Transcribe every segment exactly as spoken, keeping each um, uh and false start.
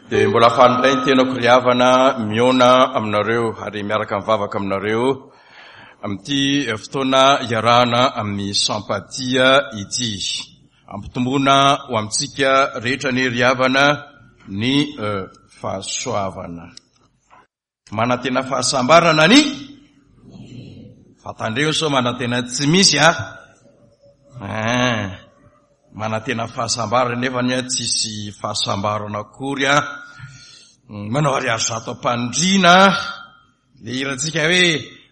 Dia mbola faly indray ny tenako ry havana mihaona aminareo ary miaraka mivavaka aminareo amin'ity fotoana iarahana amin'ny Sampatia ity. Ampitomboana ho amintsika rehetra anie ry havana ny fahasoavana. Manantena fahasambarana ny fa tandreo sao manantena tsy misy a. Hein. Manantena fahasambarana nefa ny tsisy fahasambarana akory a. Manao ariary zato am-pandriana le hirantsika hoe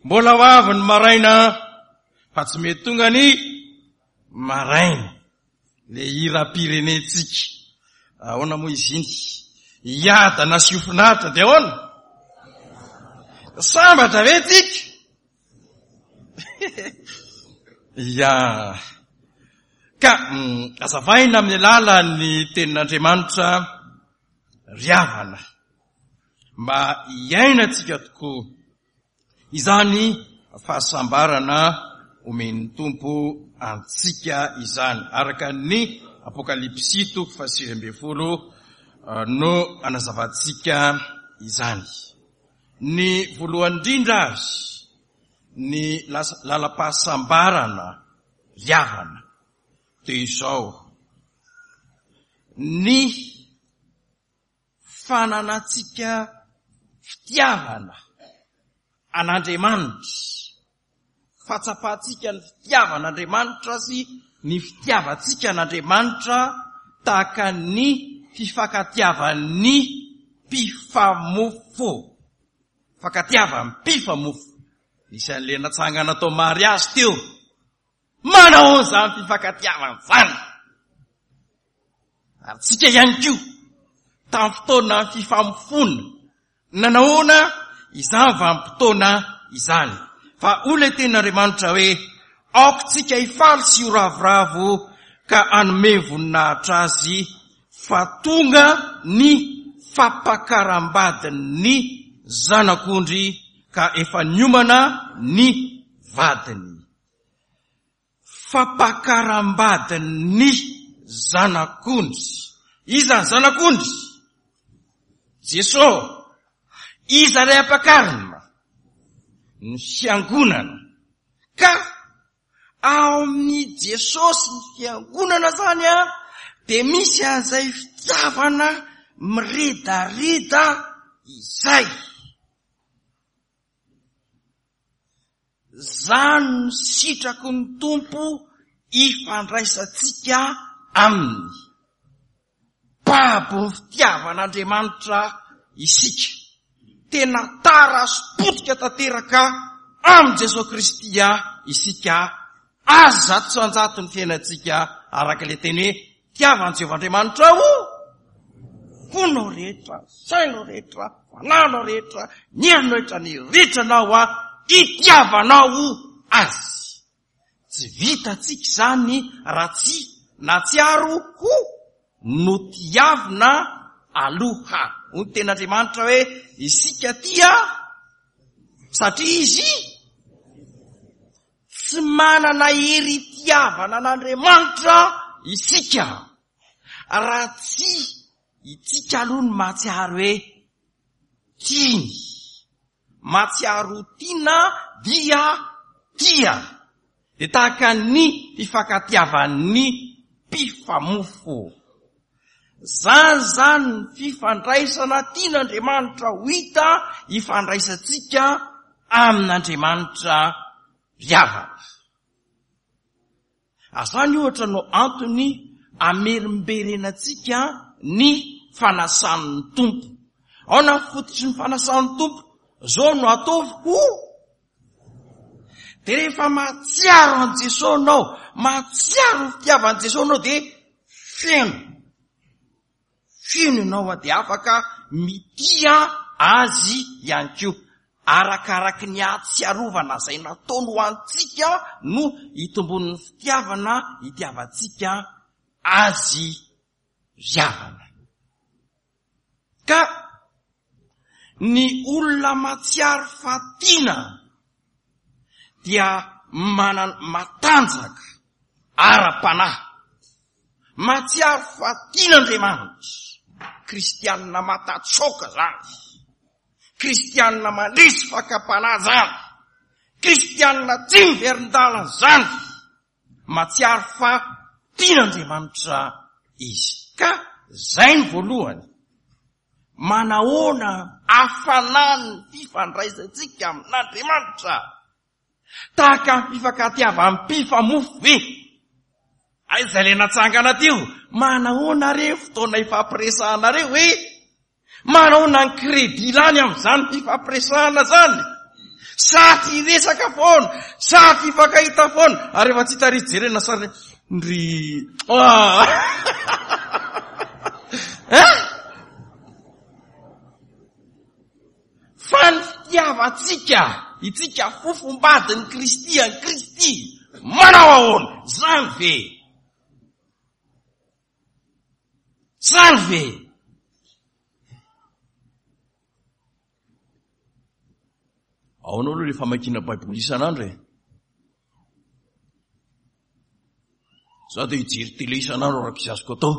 mbola ho avy ny maraina fa tsy mety tonga ny maraina. Le hiram-pirenentsika. Ahoana moa izy iny? Hiadana sy ho finaritra dia ahoana? Sambatra ve tsika? Ya. Ka azavaina amin'ny alalan'ny tenin'Andriamanitra ry havana mba hiainantsika tokoa izany fahasambarana omen'ny Tompo antsika izany. Araka ny Apokalypsy toko fahasivy ambin'ny folo no anazavantsika izany. Ny voalohany indrindra ary ny lalam-pahasambarana ry havana dia izao: ny fananantsika fitiavana an'Andriamanitra, fahatsapantsika ny fitiavan'Andriamanitra sy ny fitiavantsika an'Andriamanitra tahaka ny fifankatiavan'ny mpifamofo. Fankatiavan'ny mpifamofo. Nisy an'ilay natsangana tao mariazy teo. Manao an'izany fifankatiavana izany. Ary tsika ihany koa, tamin'ny fotoana fifamofoana, nanahoana izany vanim-potoana izany. Fa hoy ilay tenin'Andriamanitra hoe, aoka tsika hifaly sy ho ravoravo ka hanome voninahitra azy, fa tonga ny fampakaram-badin'ny zanak'ondry ka efa niomana ny vadiny. Fampakaram-badin'ny zanak'ondry. Iza ny zanak'ondry? Jeso. Iza ilay ampakarina? Ny fiangonana. Ka ao amin'i Jesosy ny fiangonana zany a dia misy an'izay fitiavana miredareda izay. Zany no sitraky ny Tompo ifandraisantsika aminy. Babo ny fitiavan'Andriamanitra isika. Tena tara sy potika tanteraka amin'i Jesoa Kristy isika. Azy zato isan-jato ny fiainantsika araka ilay teny hoe tiavan'i Jehovah Andriamanitrao fonao rehetra, sainao rehetra, fanahinao rehetra, ny herinao rehetra, ny ritranao a itiavanao azy. Tsy vitantsika izany raha tsy nahatsiaro ho notiavina aloha. Hoy ny tenin'Andriamanitra hoe isika tia satria izy tsy manana hery itiavana an'Andriamanitra isika raha tsy itsika aloha no mahatsiaro hoe tiany. Mahatsiaro ho tiana dia tia. Dia tahaka ny fifankatiavan'ny mpifamofo. Zany zany ny fifandraisana tian'Andriamanitra ho hita ifandraisantsika amin'Andriamanitra ry havana. Ary zany ohatra no antony amerimberenantsika ny fanasan'ny Tompo. Aona ny fototry ny fanasan'ny Tompo? Zao no ataovy ho. Dia rehefa mahatsiaro an'i Jesoa anao, mahatsiaro ny fitiavan'i Jesoa anao, dia feno. Feno ianao dia afaka mitia azy ihany koa. Arakaraky ny hahatsiarovana izay nataony ho antsika no hitombon'ny fitiavana hitiavantsika azy ry havana. Ka ny olona mahatsiaro fa tiana dia manana matanjaka ara-panahy, mahatsiaro fa tian'Andriamanitra. Kristianina matatsoka zany. Kristianina mandresy fakam-panahy zany. Kristianina tsy miverin-dalana zany. Mahatsiaro fa tian'Andriamanitra izy. Ka zay ny voalohany. Manahoana hafanan'ny fifandraisantsika amin'Andriamanitra? Tahaka ny fifankatiavan'ny mpifamofo ve? Aiza ilay natsangana teo? Manahoana re fotoana ifampiresahanareo hoe? Manahoana ny crédit lany amin'izany fifampiresahana zany? Sady hiresaka foana, sady hifankahita foana, ary efa tsy hita ry jerena sary ndry. Ah! Hein? Fa ny fitiavantsika, itsika fofombadin'i Kristy an'i Kristy, manao ahoana? Zany ve? Zany ve? Ahoana aloha le famakiana Baiboly isan'andro e? Za dia hijery télé isan'andro araka izay azoko atao.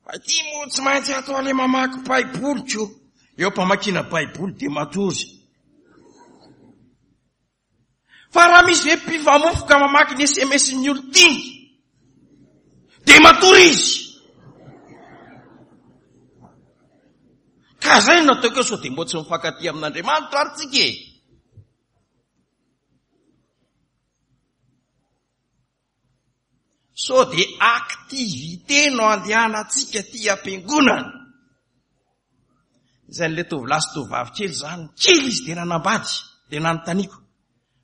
Fa ity moa tsy maintsy atao ilay mamaky Baiboly ko. Eo am-pamakiana Baiboly dia matory. Fa raha misy ve mpifamofo ka mamaky ny S M S-n'ny olon-tiany, dia matory izy. Ka zay no nataoko eo, sao dia mbola tsy mifankatia amin'Andriamanitra ary tsika e. Sao dia activité no andehanantsika aty am-piangonana. Izay n'ilay tovolahy sy tovovavy kely zany, kely izy dia nanambady, dia nanontaniako,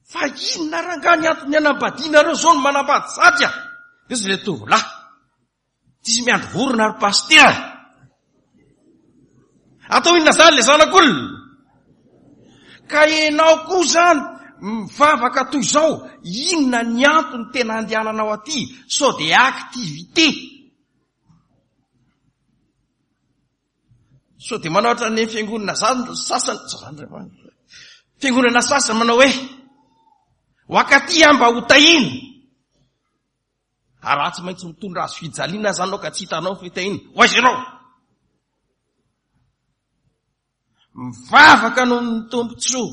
fa inona rangahy ny antony hanambadianareo zao no manambady sady a? Dia izy ilay tovolahy, tsisy miandry vorona ary pasitera. Atao inona zany ilay zanak'olona? Ka ianao koa zany mivavaka toy izao, inona ny antony tena andehananao aty? Sao dia activité. Sao dia manao ohatran'ny fiangonana zany sasany, zany re, fiangonana sasany manao hoe ho akaty aho mba ho tahina. Ary raha tsy maintsy mitondra azy fijaliana zany ianao ka tsy hitanao fitahiana, ho aiza ianao? Mivavaka noho ny tombontsoa,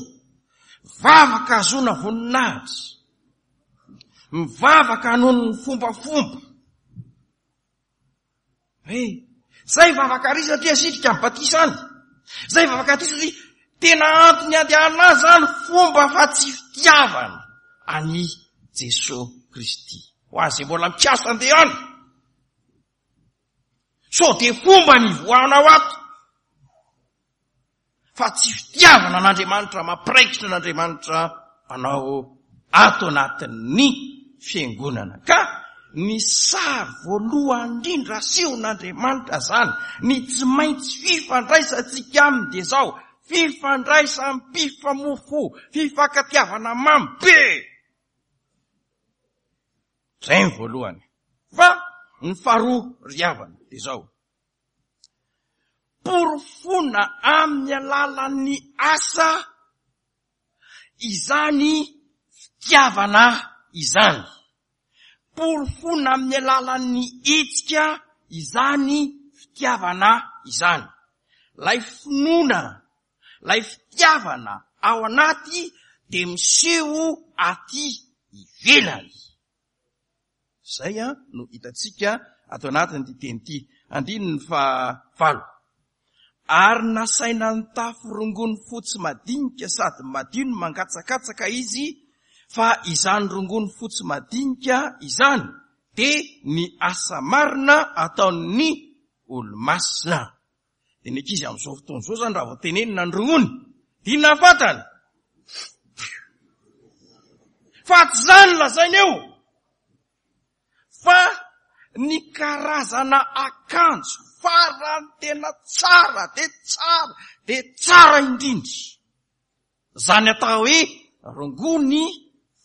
mivavaka hahazoana voninahitra, mivavaka noho ny fombafomba. Hey, zay vavaka ary satria asitrika amin'ny batisa any. Zay vavaka aty satria tena antony andehanana azy zany fomba fa tsy fitiavana an'i Jesoa Kristy. Ho azy mbola mikasa andeha any. Sao dia fomba ny ivoahanao ato. Fa tsy fitiavana an'Andriamanitra, mampiraikitra an'Andriamanitra anao ato anatin'ny fiangonana. Ka ny sary voalohany indrindra asehon'Andriamanitra zany, ny tsy maintsy fifandraisantsika aminy dia zao, fifandraisam-pifamofo, fifankatiavana mamy be. Zay ny voalohany. Fa ny faharoa ry havana dia zao, porofoina amin'ny alalan'ny asa izany fitiavana izany. Porofoina amin'ny alalan'ny hetsika izany fitiavana izany. Ilay finoana, ilay fitiavana ao anaty dia miseho aty ivelany. Zay a no hitantsika ato anatin'ity teny ity. Andininy fahavalo. Ary nasaina nitafy rongony fotsy madinika sady madio no mangatsakatsaka izy, fa izany rongony fotsy madinika izany dia ny asa marina ataon'ny olomasina. Dia ny ankizy amin'izao fotoana izao zany raha vao tenenina ny rongony, dia inona ny fantany? Fa tsy izany lazaina eo, fa ny karazana akanjo farany tena tsara dia tsara dia tsara indrindra. Zany atao hoe rongony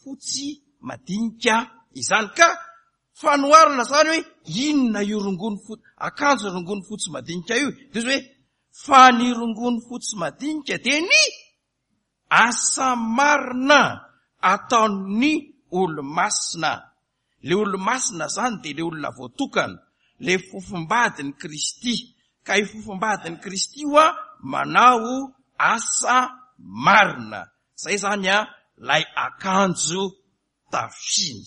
fotsy madinika izany. Ka fanoharana zany hoe inona io rongony fotsy, akanjo rongony fotsy madinika io? Dia izy hoe fa ny rongony fotsy madinika dia ny asa marina ataon'ny olomasina. Le olo-masina zany de le olona voatokana, le fofombadin'i Kristy. Ka io fofombadin'i Kristy io a manao asa marina. Zay zany a lay akanjo tafiny.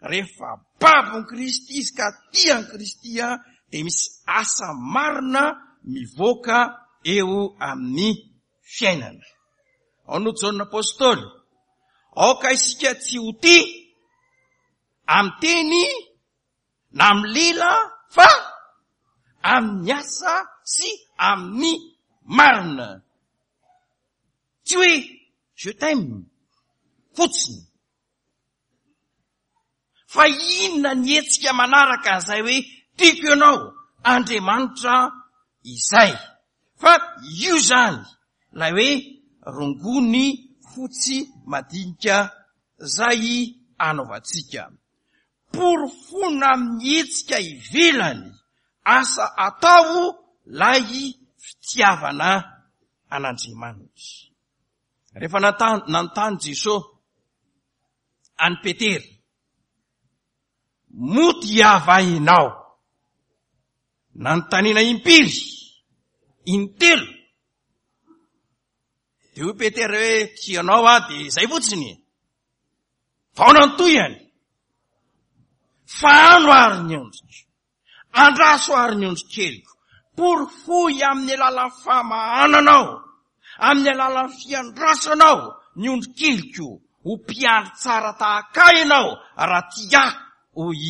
Rehefa babon'i Kristy izy ka tia an'i Kristy a, de misy asa marina mivoaka eo amin'ny fiainana. Ao no Jaona Apôstôly, aoka isika tsy ho tia amin'ny teny na amin'ny lela fa amin'ny asa sy amin'ny marina. Tsy hoe je t'aime fotsiny. Fa inona ny hetsika manaraka an'izay hoe tiako ianao Andriamanitra izay. Fa io zany lay hoe rongony fotsy madinika zay anaovantsika. Porofona amin'ny hetsika ivelany asa atao lay fitiavana an'Andriamanitra. Rehefa nanontany Jesosy an'i Petera, moa tiava ianao? Nanontaniana impiry, intelo. De hoy Petera hoe tianao aho, de zay fotsiny. Vao nantohany. Fahano ary ny ondriko, andraso ary ny ondry keliko, porofoy amin'ny alalan'ny famahananao, amin'ny alalan'ny fiandrasanao ny ondry keliko, ho mpiandry tsara tahaka ahy ianao raha tia ahy, hoy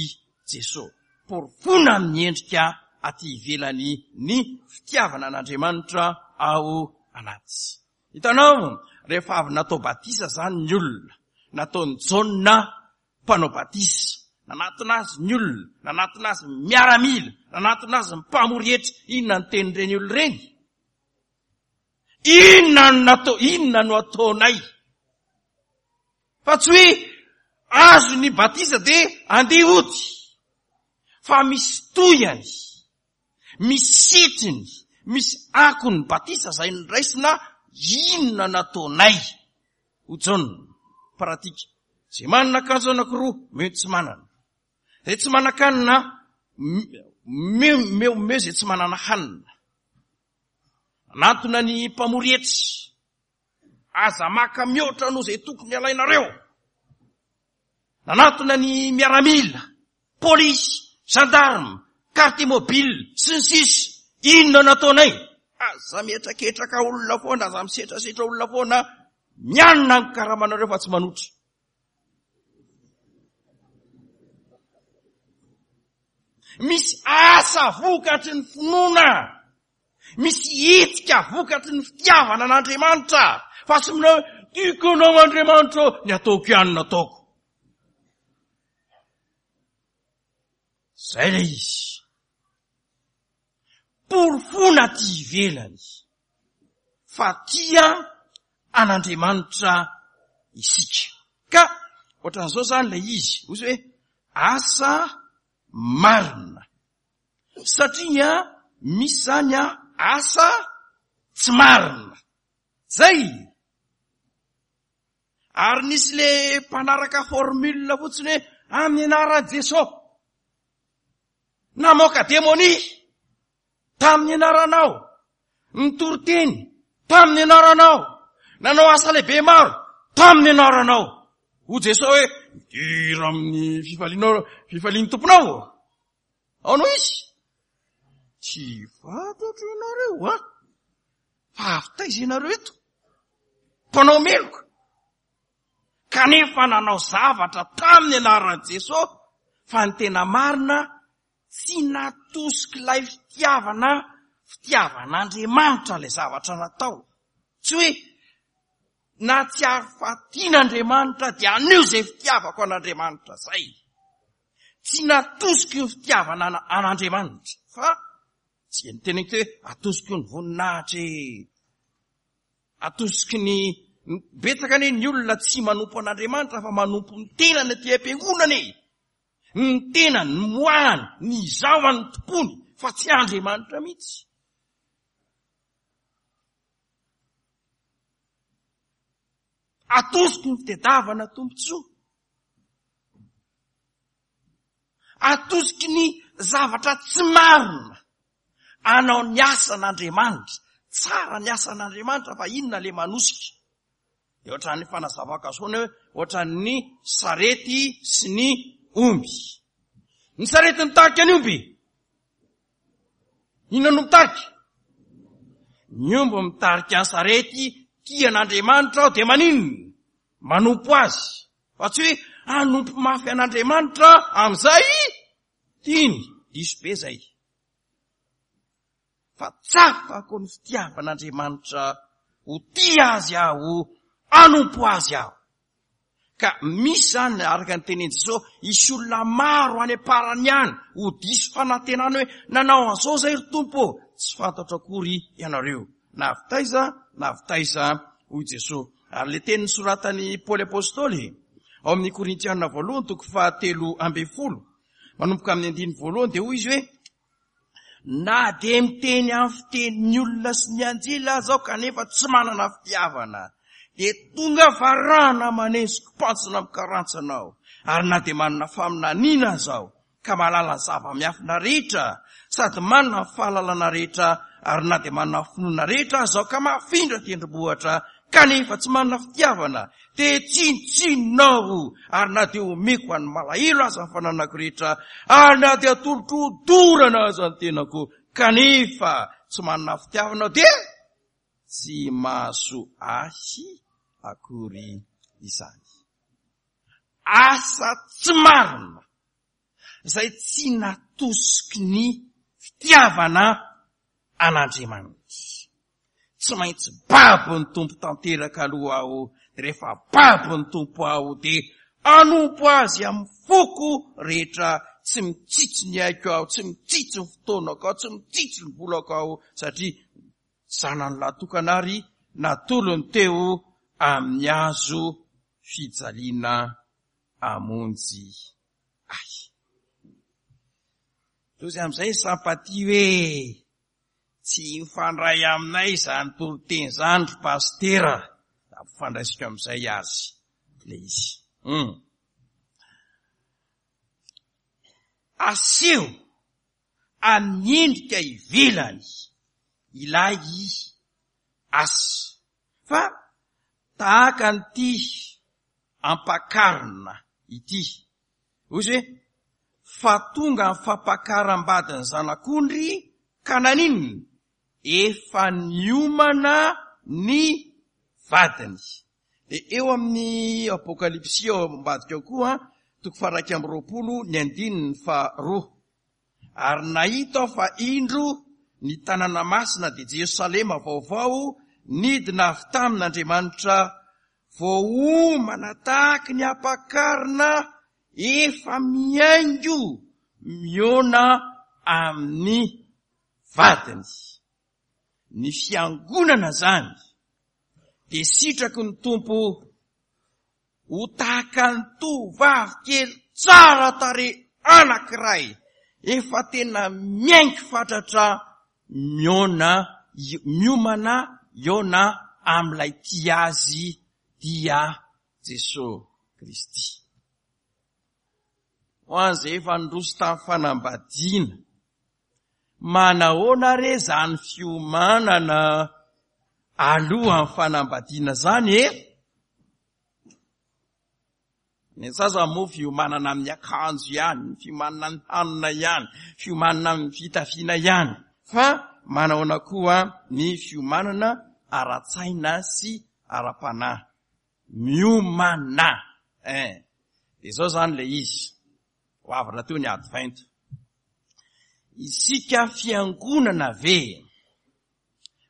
Jesosy. Porofoina amin'ny endrika aty ivelany ny fitiavana an'Andriamanitra ao anaty. Hitanao, rehefa avy natao batisa zany ny olona, nataon'i Jaona mpanao batisa, nanatona azy ny olona, nanatona azy ny miaramila, nanatona azy ny mpamory hetra. Inona ny tenin'ireny olona ireny? Inona no natao, inona no ataonay? Fa tsy hoe azo ny batisa de andeha hody, fa misy tohiny, misy setriny, misy akony batisa zay noraisina. Inona nataonay? Ho Jaona, pratika. Zay manana akanjo anankiroa, meo tsy manana. Zay tsy manan-kanina, meo meo meo zay tsy manana hanina. Nanatona ny mpamory hetra. Aza maka mihoatra noho zay tokony alainareo. Nanatona ny miaramila, polisy, gendarme, quartier mobile, sy ny sisa. Inona nataonay? Aza mihetraketraka olona foana, aza misetrasetra olona foana, mianina ny karamanareo fa tsy manotra. Misy asa vokatry ny finoana, misy hetsika vokatry ny fitiavana an'Andriamanitra, fa tsy minao tiako anao Andriamanitra, ny ataoko ihany no ataoko. Zay ilay izy. Porofoina aty ivelany fa tia an'Andriamanitra isika. Ka ohatran'izao zany ilay izy, hoy izy hoe asa marina. Satria misy zany asa tsy marina. Zay. Ary nisy le mpanaraka formule fotsiny hoe amin'ny anaran'i Jesosy. Namoaka demonia tamin'ny anaranao, nitory teny tamin'ny anaranao, nanao asa lehibe maro tamin'ny anaranao. Hoy Jesosy hoe midira amin'ny fifalianao, fifalian'ny tomponao. Ao no izy. Tsy fantatro ianareo, ha? Fa avy taiza ianareo eto? Mpanao meloka. Kanefa nanao zavatra tamin'ny anaran'i Jesosy, fa ny tena marina tsy natosiky ilay fitiavana, fitiavan'Andriamanitra ilay zavatra natao. Tsy hoe nahatsiaro fa tian'Andriamanitra dia anio izay fitiavako an'Andriamanitra zay. Tsy natosiky ny fitiavana an'Andriamanitra, fa tsy ny teneniko hoe atosiky ny voninahitra e. Atosiky ny betsaka anie ny olona tsy manompo an'Andriamanitra fa manompo ny tenany aty am-piangonana e. Ny tenany, ny moany, ny izaho an'ny tompony, fa tsy Andriamanitra mihitsy. Atosiky ny fitadiavana tombontsoa. Atosiky ny zavatra tsy marina anao ny asan'Andriamanitra. Tsara ny asan'Andriamanitra, fa inona le manosika? De ohatran'ny fanazavako azy foana hoe ohatran'ny sarety sy ny omby. Ny sarety mitarika ny omby. Inona no mitarika? Ny omby mitarika ny sarety. Tia an'Andriamanitra aho, de maninona? Manompo azy. Fa tsy hoe hanompo mafy an'Andriamanitra amin'izay tiany. Diso be zay. Fa tsapako ny fitiavan'Andriamanitra, ho tia azy aho, hanompo azy aho. Ka misy zany, araka ny tenin'i Jesosy, hisy olona maro any am-parany any ho diso fanantenana hoe nanao an'izao zay ry Tompo, tsy fantatro akory ianareo. Na avy taiza, na avy taiza, hoy Jesosy. Ary le teny nosoratan'i Paoly Apôstôly ao amin'ny Korintiana voalohany toko fahatelo amby folo, manomboka amin'ny andininy voalohany, dia hoy izy hoe na dia miteny amin'ny fitenin'ny olona sy ny anjely aza aho kanefa tsy manana fitiavana, dia tonga varahana manesiko pantsona mikarantsana aho. Ary na dia manana faminaniana aza aho ka mahalala ny zava-miafina rehetra sady manana ny fahalalana rehetra, ary na dia manana finoana rehetra aza aho ka mahafindra tendrombohitra kanefa tsy manana fitiavana, dia tsinontsinona aho. Ary na dia omeko an'ny malahelo aza ny fananako rehetra, ary na dia atolotro hodorana aza ny tenako kanefa tsy manana fitiavana aho, dia tsy mahasoa ahy akory izany. Asa tsy marina izay tsy natosiky ny fitiavana an'Andriamanitra. Tsy maintsy babo ny Tompo tanteraka aloha aho, dia rehefa babo ny Tompo aho dia hanompo azy amin'ny foko rehetra. Tsy mitsitsy ny aiko aho, tsy mitsitsy ny fotoanako aho, tsy mitsitsy ny volako aho, satria zanany lahy tokana ary natolony teo amin'ny hazo fijaliana hamonjy ahy. Tozy amin'izay Sampati hoe tsy mifandray aminay izany toriteny izany ry pastera, ampifandraisiko amin'izay azy le izy. Hmm. Aseho amin'ny endrika ivelany ilay asa, fa tahaka an'ity ampakarina ity. Hoy izy hoe fa tonga ny fampakaram-badin'ny zanak'ondry ka naninona? Efa niomana ny vadiny. Dia eo amin'ny Apokalypsy ao ambadika ao koa, toko faha-iraika amby roapolo ny andininy faharoa. Ary nahita aho fa indro ny tanàna masina dia Jerosalema vaovao nidina avy tamin'Andriamanitra, voaomana tahaky ny ampakarina efa mihaingo mihaona amin'ny vadiny. Ny fiangonana zany dia sitraky ny Tompo ho tahaka ny tovovavy kely tsara tarehy anankiray efa tena mihaingo fatratra mihaona, miomana hihaona amin'ilay tia azy dia Jesosy Kristy. Ho an'izay efa nindroso tamin'ny fanambadiana, manahoana re zany fiomanana alohan'ny fanambadiana zany e? Ny sasany moa fiomanana amin'ny akanjo ihany, fiomanana amin'ny hanina ihany, fiomanana amin'ny fitafiana ihany, fa manahoana koa ny fiomanana ara-tsaina sy ara-panahy? Miomana. Eh. Dia izao zany le izy. Ho avy rahateo ny advento. Isika fiangonana ve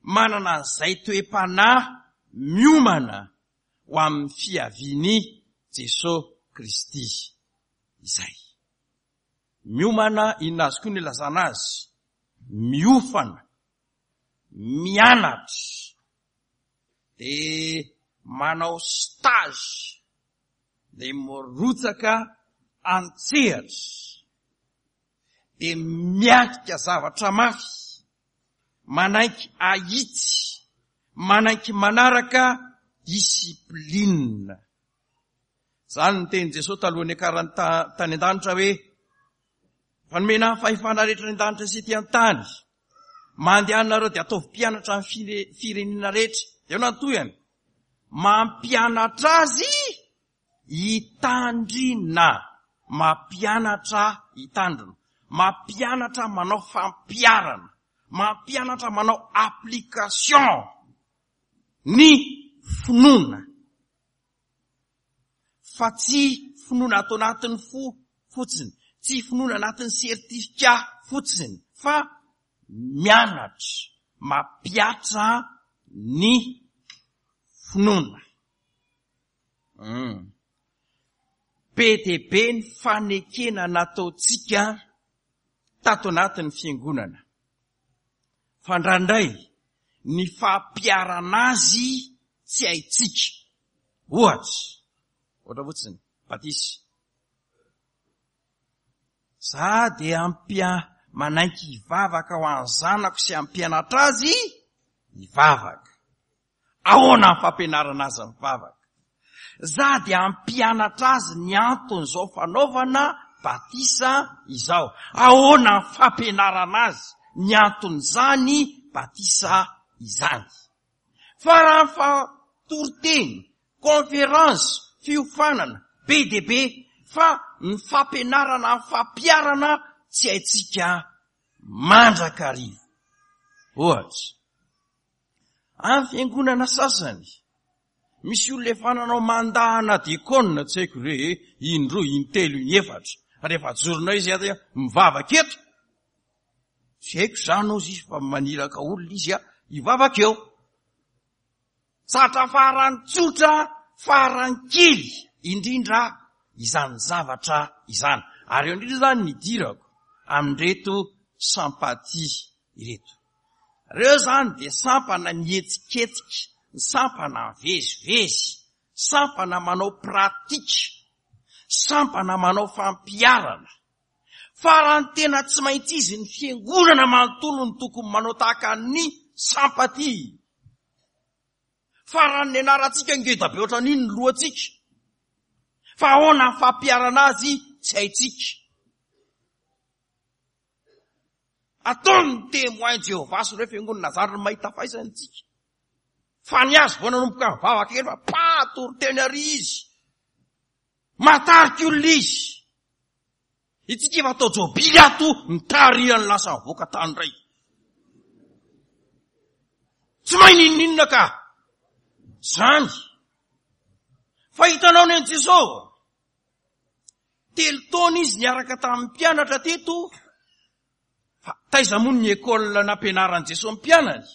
manana an'izay toe-panahy miomana ho amin'ny fiavian'i Jesosy Kristy izay? Miomana, inona azy koa ny ilazana azy? Miofana, mianatra, dia manao stage, dia mirotsaka an-tsehatra, dia miatrika zavatra mafy, manaiky ahitsy, manaiky manaraka discipline. Zany ny tenin'i Jesosy talohan'ny niakarany tany an-danitra hoe Fa nomena ny fahefana rehetra any an-danitra sy ety an-tany. Mandehanareo dia ataovy mpianatra ny fire-, firenena rehetra. Dia eo nantohany. Mampianatra azy hitandrina. Mampianatra hitandrina. Mampianatra manao fampiharana. Mampianatra manao application ny finoana. Fa tsy finoana ato anatin'ny fo fotsiny, tsy finoana anatin'ny certificat fotsiny, fa mianatra, mampiatra ny finoana. Hmm. Be dia be ny fanekena nataontsika tato anatin'ny fiangonana. Fa indraindray ny fampiharana azy tsy haintsika. Ohatra, ohatra fotsiny, batisa. Za dia ampia-, manaiky hivavaka ho an'ny zanako sy hampianatra azy hivavaka. Ahoana ny fampianarana azy mivavaka? Za dia hampianatra azy ny anton'izao fanaovana batisa izao. Ahoana ny fampianarana azy ny anton'izany batisa izany? Fa raha ny fatoriteny, conférence, fiofanana, be dia be, fa ny fampianarana ny fampiharana tsy haintsika mandrakariva. Ohatra, amin'ny fiangonana sasany, misy olona efa nanao mandahana diakona, tsy haiko re, indroa, intelo, inefatra. Rehefa ajoronao izy aty mivavaka eto, tsy haiko zany ozy izy fa maniraka olona izy a, hivavaka eo. Zatra farany tsotra, farany kely indrindra izany zavatra izany. Ary eo indrindra zany nidirako amin'ireto sampati ireto. Reo zany dia sampana nihetsiketsika, sampana mivezivezy, sampana manao pratika, sampana manao fampiharana. Fa raha ny tena tsy maintsy izy ny fiangonana manontolo no tokony manao tahaka ny sampati. Fa raha ny anarantsika ngeda be ohatran'iny ny lohantsika. Fa ahoana ny fampiharana azy tsy haintsika. Ataony ny témoin Jéhovah sy ireo fiangonana zary ny mahita faisana tsika. Fa ny azy vao nanomboka mivavaka kely fa pa toriteny ary izy. Matarika olona izy. Itsika efa atao jobily ato mitarihan'ny lasa mivoaka tany indray. Tsy mahay n'inon'inona ka. Zany. Fa hitanao ny an'i Jesosy. Telo taona izy niaraka tamin'ny mpianatra teto. Fa taiza moa ny école nampianaran'i Jesosy mpianany?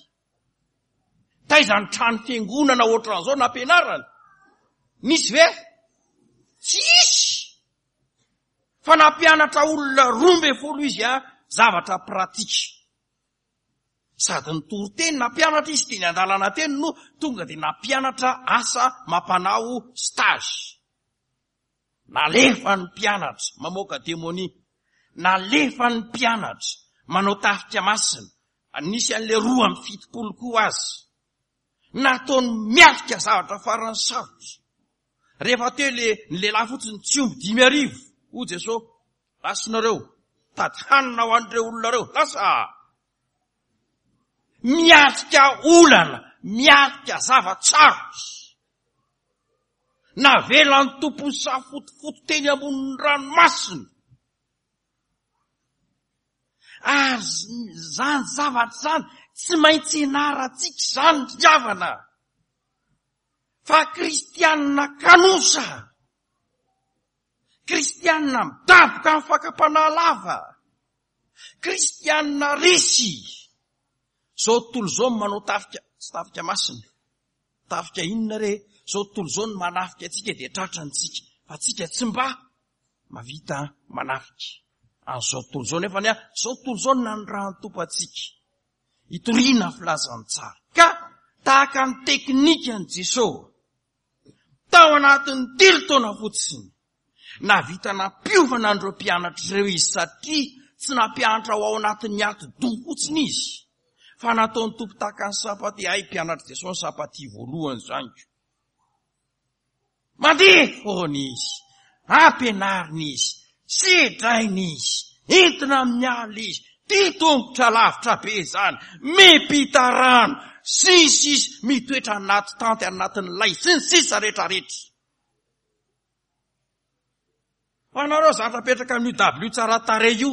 Taiza ny trano fiangonana ohatran'izao nampianarany? Nisy ve? Tsisy. Fa nampianatra olona roa ambin'ny folo izy a, zavatra pratika. Sady nitory teny nampianatra izy teny an-dalana teny no tonga dia nampianatra asa mampanao stage. Nalefa ny mpianatra mamoaka demonia. Nalefa ny mpianatra manao tafika masina. Nisy an'ilay roa amby fitopolo koa azy. Nataony miatrika zavatra farany sarotra. Rehefa teo le ny lehilahy fotsiny tsy omby dimy arivo, hoy Jesosy, lasinareo, tady hanina ho an'ireo olona ireo, lasa. Miatrika olana, miatrika zava-tsarotra. Navelan'ny tompony safotofoto teny ambonin'ny ranomasina. Ary zany zavatra zany tsy maintsy ianarantsika izany ry havana. Fa kristianina kanosa, kristianina midaboka amin'ny fakam-panahy lava, kristianina resy. Zao tontolo izao no manao tafika, tsy tafika masina, tafika inona re? Zao tontolo izao no manafika antsika dia tratrantsika, fa tsika tsy mba mahavita manafika. An'izao tontolo izao nefa ny a, zao tontolo izao no nanirahan'ny Tompo antsika hitoriana filazantsara. Ka tahaka ny teknikan'i Jesosy tao anatin'ny telo taona fotsiny, nahavita nampiofana an'ireo mpianatra ireo izy, satria tsy nampianatra ho ao anatin'ny atidoha fotsiny izy, fa nataon'ny Tompo tahaka ny sampati. Ay, mpianatra Jesosy ny sampati voalohany zany ko. Mandeha foana izy, ampianarina izy, sedraina izy, Entina amin'ny alina izy, tia tongotra lavitra be izany, miampita rano, sy ny sisa, mitoetra anaty tanty anatin'ny lay, sy ny sisa rehetra rehetra. Fa nareo zatra apetraka amin'io dabilio tsara tarehy io,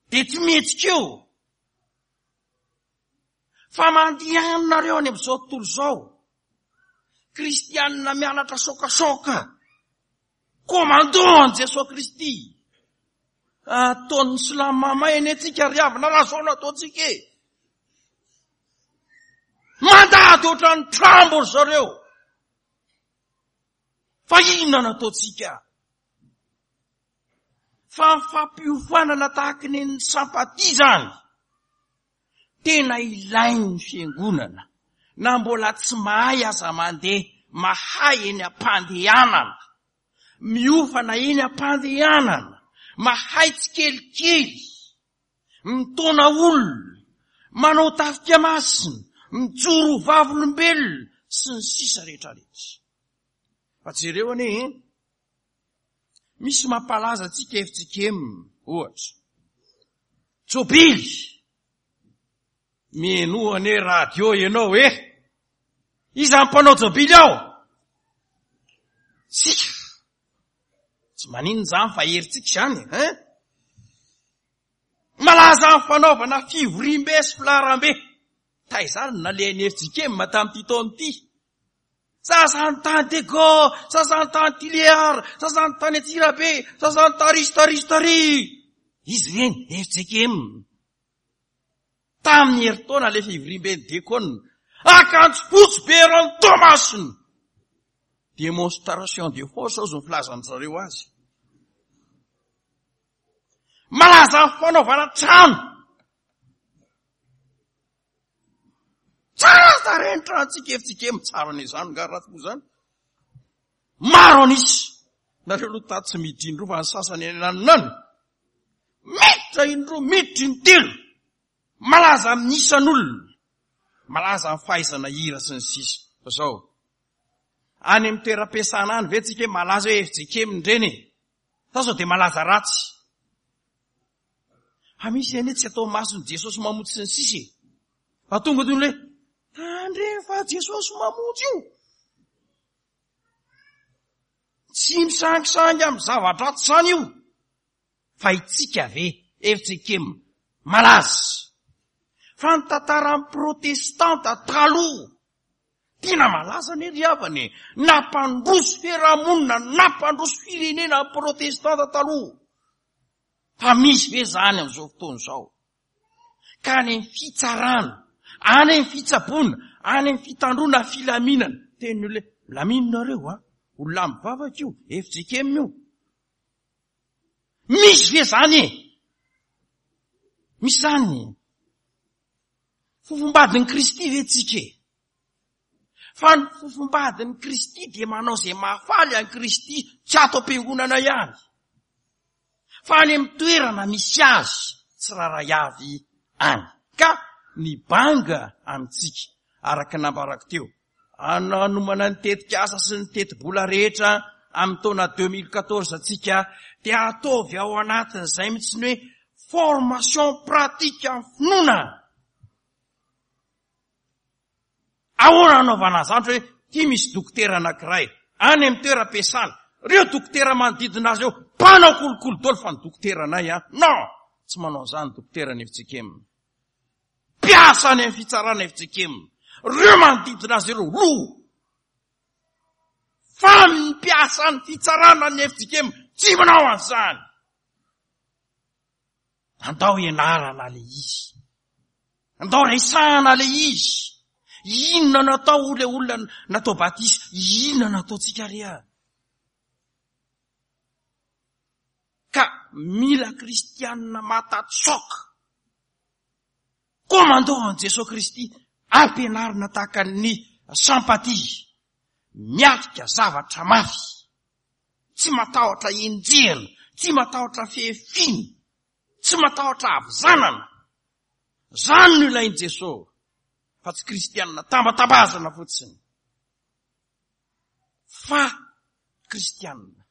dia tsy mihetsika eo. Fa mandeha nareo any amin'izao tontolo izao. Kristianina mianatra sokasoka. Commando an'i Jesoa Kristy. Ataon'ny silamo mamay anie tsika ry havana raha zao no ataontsika e. Mandady ohatran'ny trambo ry zareo. Fa inona no ataontsika? Fa ny fampiofanana tahaky ny ny sampatia izany tena ilain'ny fiangonana, na mbola tsy mahay aza mandeha, mahay eny am-pandehanana, miofana eny am-pandehanana, mahay tsikelikely, mitaona olona, manao tafika masina, mijoro ho vavolombelona, sy ny sisa rehetra rehetra. Fa jereo anie, misy mampalaza antsika F J K M, ohatra. Jobily! Mihainoa anie radio ianao e! Iza ny mpanao jobily ao? Tsika! Tsy maninona izany fa herintsika izany, hein? Malaza amin'ny fanaovana fivoriambe sy filaharambe. Taiza ary no nalehan'ny F J K M tamin'ity taona ity? Sasany tany Diego, sasany tany Tuléar, sasany tany Antsirabe, sasany tary sy tary sy tary. Izy ireny, F J K M. Tamin'ny herintaona ilay fivoriamben'ny Diakona. Akanjo fotsy be eran'ny Toamasina. Démonstration de force hozy ny filazan-dry zareo azy. Malaza amin'ny fanaovana trano. Tsara tarehy ny tranontsika, F J K M, tsara anie izany, nga ratsy moa izany. Maro an'isa. Nareo aloha tato tsy miditra indroa fa ny sasany any ananonany. Miditra indroa, miditra intelo. Malaza amin'ny isan'olona. Malaza amin'ny fahaizana hira sy ny sisa. Fa zao, any amin'ny toeram-piasana any ve tsika hoe malaza hoe F J K M indreny e? Sa sao dia malaza ratsy? Fa misy anie tsy atao mason'i Jesosy mamonjy sy ny sisa e. Fa tonga toy ny hoe, tandremo fa Jesosy mamonjy io. Tsy misangisangy amin'ny zava-dratsy izany io. Fa itsika ve, F J K M, malaza. Fa ny tantaran'ny protestanta taloha, tena malaza anie ry havana e. Nampandroso fiarahamonina, nampandroso firenena ny protestanta taloha. Fa misy ve izany amin'izao fotoana izao? Ka any amin'ny fitsarana, any amin'ny fitsaboana, any amin'ny fitandroana filaminana. Teny olona hoe, milamino nareo a, olona mivavaka io, F J K M io. Misy ve izany e? Misy izany e? Fofombadin'i Kristy ve tsika e? Fa ny fofombadin'i Kristy dia manao izay mahafaly an'i Kristy tsy ato am-piangonana ihany. Fa any amin'ny toerana misy azy tsirairay avy any. Ka ny banga amintsika, araka ny nambarako teo, hanomana ny tetikasa sy ny tetibola rehetra amin'ny taona deux mille quatorze antsika, dia ataovy ao anatin'izay mihitsy ny hoe formation pratique amin'ny finoana. Ahoana hanaovana izany? Hoe ity misy dokotera anankiray any amin'ny toeram-piasana, ireo dokotera manodidina azy eo mpanao kolikoly daholo fa ny dokotera anay a. Non, tsy manao izany dokotera ny F J K M. Mpiasa any amin'ny fitsarana F J K M. Ireo manodidina azy ireo lo. Fa ny mpiasa ny fitsarana ny F J K M tsy manao an'izany. Andao ianarana le izy. Andao resahana le izy. Inona no atao le olona natao batisa? Inona no ataontsika re a? Ka mila kristianina matatsoka. Koa mandao an'i Jesoa Kristy ampianarina tahaka ny sampatia. Miatrika zavatra mafy. Tsy matahotra enjehina, tsy matahotra fehefina, tsy matahotra havizanana. Zany no ilain'i Jesoa, fa tsy kristianina tambatabazana fotsiny. Fa kristianina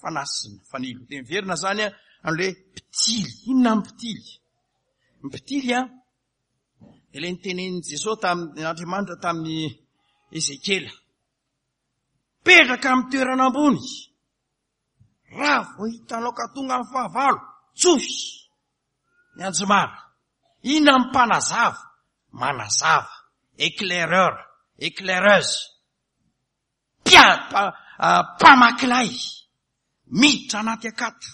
fanasina fanilo. Dia miverina zany a, Amin'ilay mpitily. Inona ny mpitily? Ny mpitily an, dia ilay nitenenin'i Jesosy tamin'Andriamanitra tamin'i Ezekiela. Mipetraka amin'ny toerana ambony. Raha vao hitanao ka tonga ny fahavalo, tsofy ny anjomara. Inona ny mpanazava? Manazava, éclaireur, éclaireuse. Mpia- mpamaky lay, miditra anaty akata.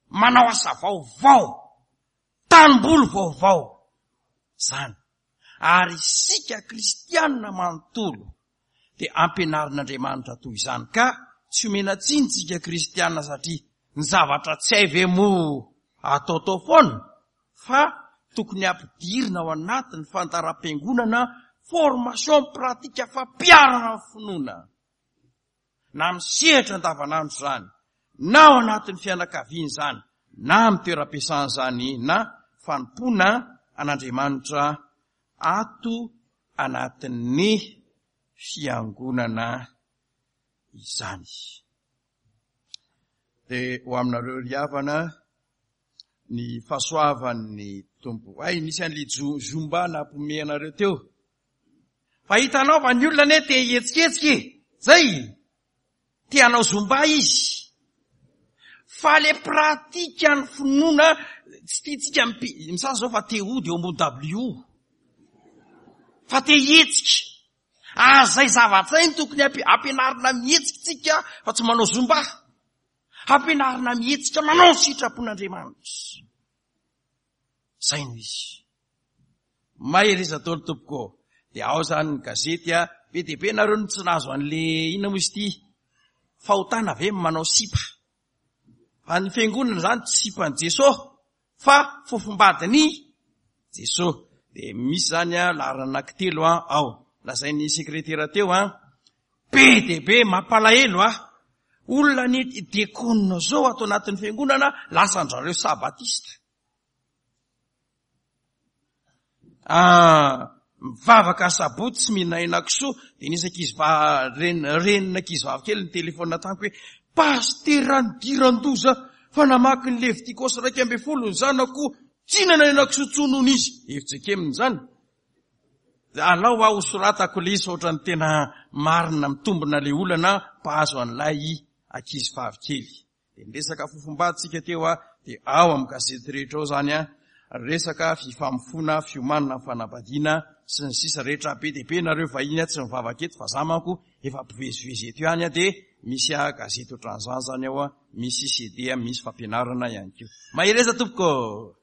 Manao asa vaovao, tanimboly vaovao. Zany. Ary isika kristianina manontolo dia ampianarin'Andriamanitra toy izany, ka tsy omena tsiny tsika kristianina satria ny zavatra tsy hay ve moa ataotao foana, fa tokony ampidirina ao anatin'ny fandaharam-piangonana formation pratique fampiharana ny finoana, na amin'ny sehatra andavanandro izany, na ao anatin'ny fianakaviana izany, na amin'ny toeram-piasana izany, na fanompoana an'Andriamanitra ato anatin'ny fiangonana izany. Dia ho aminareo ry havana ny fahasoavan'ny Tompo. Ay, nisy an'ilay zumba nampome anareo teo. Fa hitanao fa ny olona anie te hihetsiketsika e. Zay. Te hanao zumba izy. Fa le pratique ny finoana tsy tiantsika mipi- misasa zao fa te hody eo ambony W. Fa te hihetsika. Ah, zay zavatra iny tokony ampi- ampianarina mihetsika tsika fa tsy manao zumba. Ampianarina mihetsika manao sitrapon'Andriamanitra. Zay no izy. Mahereza daholo tompoko. Dia ao zany ny gazety a, be dia be nareo no tsy nahazo an'le inona moa izy ity? Fahotana ve manao sipa? Fa ny fiangonana zany tsy sipan'i Jesosy fa fofombadiny Jesosy. Dia misy zany a laharana anankitelo a ao. Lazain'ny sekretera teo a, be dia be mampalahelo a. Olona ny diakona zao ato anatin'ny fiangonana lasa an-drareo sabatista. Ah, mivavaka sabotsy tsy mihinana henakisoa, dia nisy ankizy va-, ren-, renina ankizy vavy kely ny telefona tamiko hoe pastera nidiran-doza fa namaky ny Levitikosy iraika ambin'ny folo ny zanako, tsy hinana henakisoa intsony hono izy. Hevitra keminy izany. Alao aho hosoratako ilay izy fa ohatran'ny tena marina mitombina ilay olana mpahazo an'ilay ankizy vavy kely. Dia niresaka fofombadintsika teo a, dia ao amin'ny gazety rehetra ao zany a, resaka fifamofoana, fiomanana ny fanambadiana sy ny sisa rehetra. Be dia be nareo vahiny a tsy mivavaka eto fa za manko efa mpivezivezy eto ihany a, dia misy a gazety ohatran'izany zany ao a, misy C D a, misy fampianarana ihany koa. Mahereza tompoko.